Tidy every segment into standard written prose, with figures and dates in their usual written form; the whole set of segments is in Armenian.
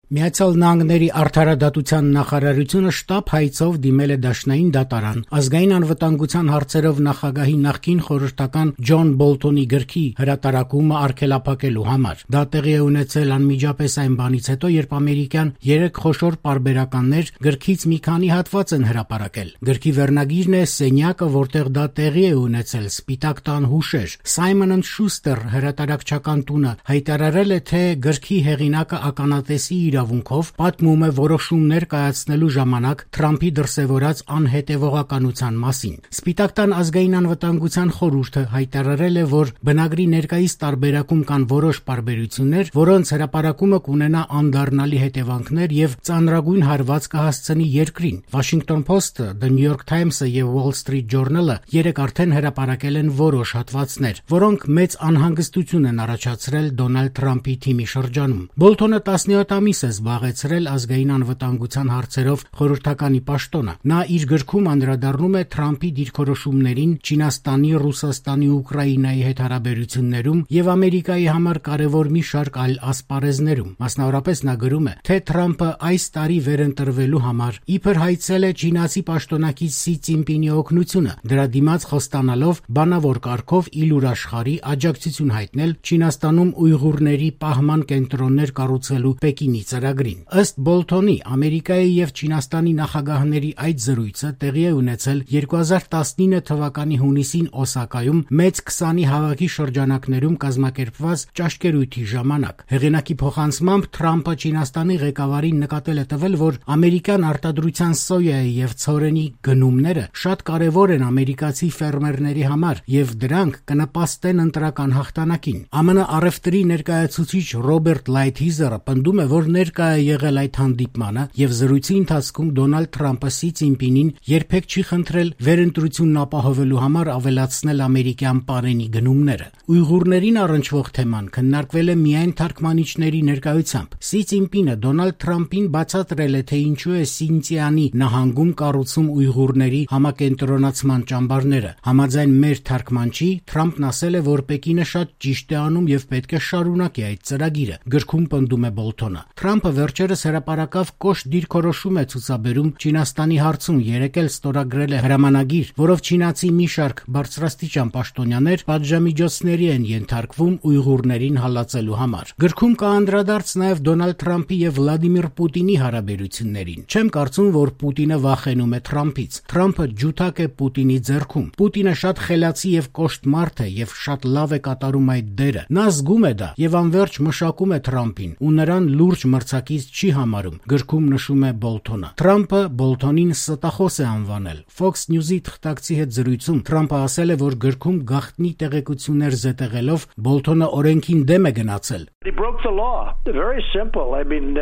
Միացյալ Նահանգների արդարադատության նախարարությունը շտապ հայցով դիմել է դաշնային դատարան ազգային անվտանգության հարցերով նախագահի նախկին խորհրդական Ջոն Բոլթոնի գրքի հրատարակումը արգելափակելու համար։ Դա տեղի է ունեցել անմիջապես այն բանից հետո, երբ ամերիկյան 3 խոշոր պարբերականներ գրքից մի քանի հատված են հրապարակել։ Գրքի վերնագիրն է «Սենյակը, որտեղ դա տեղի է ունեցել. Սպիտակ տան հուշեր»։ Simon & Schuster հրատարակչական տունը հայտարարել է, թե գրքի հեղինակը ականատեսի իրավունքով պատմում է որոշումներ կայացնելու ժամանակ Թրամփի դրսևորած անհետևողականության մասին։ Սպիտակ տան ազգային անվտանգության խորհուրդը հայտարարել է, որ բնագրի ներկայիս տարբերակում կան որոշ պարբերություններ, որոնց հրապարակումը կունենա անդառնալի հետևանքներ եւ ծանրագույն հարված կհասցնի երկրին։ Washington Post-ը, The New York Times-ը եւ Wall Street Journal-ը երեք արդեն հրապարակել են որոշ հատվածներ, որոնք մեծ անհանգստություն են առաջացրել Դոնալդ Թրամփի թիմի շրջանում։ Բոլթոնը 17 ամիս է զբաղեցրել ազգային անվտանգության հարցերով խորհրդականի պաշտոնը։ Նա իր գրքում անդրադառնում է Թրամփի դիրքորոշումներին Չինաստանի, Ռուսաստանի ու Ուկրաինայի հետ հարաբերություններում եւ Ամերիկայի համար կարևոր մի շարք այլ ասպարեզներում։ Մասնավորապես նա գրում է, թե Թրամփը այս տարի վերընտրվելու համար իբր հայցել է չինացի պաշտոնակից Սի Ցինպինի օգնությունը, դրա դիմաց խոստանալով բանավոր կարգով իլուր աշխարհի աջակցություն հայտնել Չինաստանում ուйղուրների պահման կենտրոններ կառուցելու Պեկինի ծրագրին։ Ըստ Բոլթոնի, Ամերիկայի եւ Չինաստանի նախագահների այդ զրույցը տեղի է ունեցել 2019 թվականի հունիսին Օսակայում մեծ 20-ի հավաքի շրջանակներում կազմակերպված ճաշկերույթի ժամանակ։ Հեղինակի փոխանցմամբ Թրամփը Չինաստանի ղեկավարին նկատել է տվել, որ ամերիկյան արտադրության սոյայի եւ ցորենի գնումները շատ կարեւոր են ամերիկացի ֆերմերների համար եւ դրանք կնպաստեն ընտրական հաղթանակին։ ԱՄՆ առևտրի ներկայացուցիչ Ռոբերտ Լայթհիզերը պնդում է, որ ներկա է եղել այդ հանդիպմանը եւ զրույցի ընթացքում Դոնալդ Թրամփը Սի Ցինպինին երբեք չի խնդրել վերընտրությունն ապահովելու համար ավելացնել ամերիկյան պարենի գնումները։ Ուйղուրներին առնչվող թեման քննարկվել է միայն թարգմանիչների ներկայությամբ։ Սի Ցինպինը Դոնալդ Թրամփին բացատրել է, թե ինչու է Սինցիանի նահանգում կառուցում ուйղուրների համակենտրոնացման ճամբարները։ Համաձայն մեր թարգմանչի, Թրամփն ասել է, որ Պեկինը շատ ճիշտ է անում եւ պետք է շարունակի այդ ծրագիրը։ Գրքում պնդում է Բոլթոնը։ Թրամփը վերջերս հրապարակավ կոշտ դիրքորոշում է ցուցաբերում Չինաստանի հարցում, երեկ էլ ստորագրել է հրամանագիր, որով չինացի մի շարք բարձրաստիճան պաշտոնյաներ պատժամիջոցների են ենթարկվում ուйղուրներին հալածելու համար։ Գրքում կա անդրադարձ նաև Դոնալդ Թրամփի եւ Վլադիմիր Պուտինի հարաբերություններին։ Չեմ կարծում, որ Պուտինը վախենում է Թրամփից։ Թրամփը ջութակ է Պուտինի ձեռքում։ Պուտինը շատ խելացի եւ կոշտ մարդ է եւ շատ լավ է կատարում այդ դերը։ Նա զգում է դա եւ անverջ մշակում է Թրամփին ու նրան լուրջ մրցակից չի համարում։ Գրքում նշում է Բոլթոնը։ Թրամփը Բոլթոնին ստախոս է անվանել։ Fox News-ի թղթակցի հետ զրույցում Թրամփը ասել է, որ գրքում գաղտնի տեղեկություններ զետեղելով Բոլթոնը օրենքին դեմ է գնացել։ He broke the law. Very simple. I mean,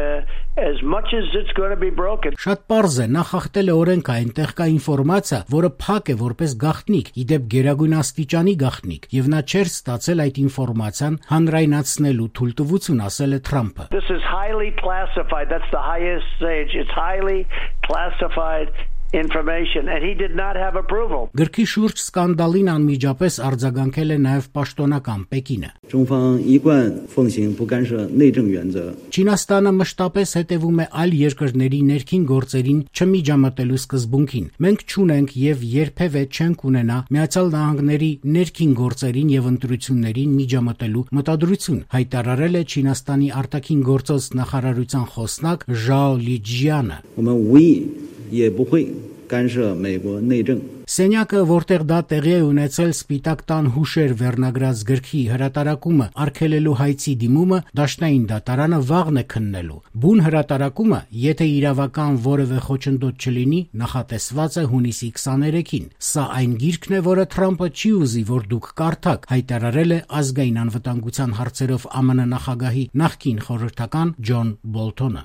as much as it's going to be broken. Շատ պարզ է, նա խախտել է օրենքը, այնտեղ կա ինֆորմացիա, որը փակ է որպես գաղտնիք, իդեպ գերագույն աստիճանի գաղտնիք, եւ նա չէր ստացել այդ ինֆորմացիան հանրայնացնելու թույլտվություն, ասել է Թրամփը։ This is highly classified. That's the highest stage. It's highly classified information and he did not have approval. Գրքի շուրջ սկանդալին անմիջապես արձագանքել է նաև պաշտոնական Պեկինը։ Չինաստանը մշտապես հետևում է այլ երկրների ներքին գործերին չմիջամտելու սկզբունքին։ Մենք չունենք եւ երբևէ չենք ունենա Միացյալ Նահանգների ներքին գործերին եւ ընտրություններին միջամտելու մտադրություն, հայտարարել է Չինաստանի արտաքին գործոց նախարարության խոսնակ Ժաո Լիջյանը։ Սենյակը, որտեղ դա տեղի է ունեցել Սպիտակ տան հուշեր վերնագրած գրքի հրատարակումը արգելելու հայցի դիմումը դաշնային դատարանը վաղն է քննելու։ Բուն հրատարակումը, եթե իրավական որևէ խոչընդոտ չլինի, նախատեսված է հունիսի 23-ին։ Սա այն գիրքն է, որը Թրամփը չի ուզի, որ դուք կարդաք, հայտարարել է ազգային անվտանգության հարցերով ԱՄՆ նախագահի նախկին խորհրդական Ջոն Բոլթոնը։